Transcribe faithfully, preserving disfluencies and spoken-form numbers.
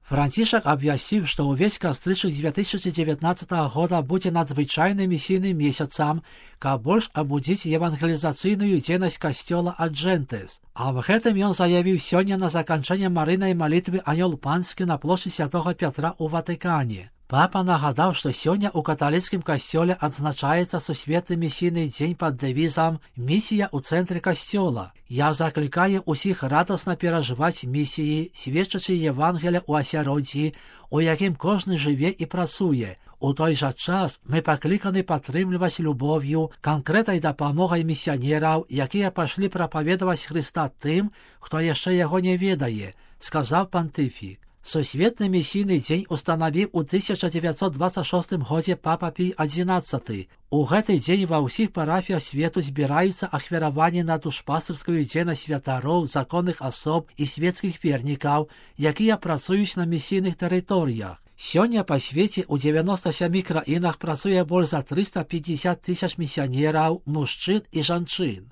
Францішак абвясціў, што ўвесь кастрычнік дзве тысячы дзевятнаццатага года будзе надзвычайным місійным месяцам, каб больш абудзіць евангелізацыйную дзейнасць касцёла Аджэнтэс. А в гэтым ён заявіў сёння на заканчэнне марыйнай малітвы анёл панскі на плошчы святога Пятра ў Ватыкане. Папа нагадаў, што сёння ў каталіцкім касцёле адзначаецца сусветны місійны дзень пад дэвізам «Місія ў цэнтры касцёла». Я заклікаю ўсіх радасна перажываць місіі, сведчачы Евангелія ў асяроддзі, у якім кожны жыве і працуе. У той жа час мы пакліканы падтрымліваць любоўю, канкрэтнай дапамогай місіянераў, якія пайшлі прапаведаваць Хрыста тым, хто яшчэ яго не ведае, сказаў пантыфік. Сусветны місійны дзень устанавіў у тысяча дзевяцьсот дваццаць шостым годзе папа Пій адзінаццаты. У гэты дзень ва ўсіх парафіях свету збіраюцца ахвяраванні на душпастырскую дзейнасць святароў, законных асоб і свецкіх вернікаў, якія працуюць на місійных тэрыторыях. Сёння па свеце ў дзевяноста сямі краінах працуе больш за трыста пятьдесят тысяч місіянераў, мужчын і жанчын.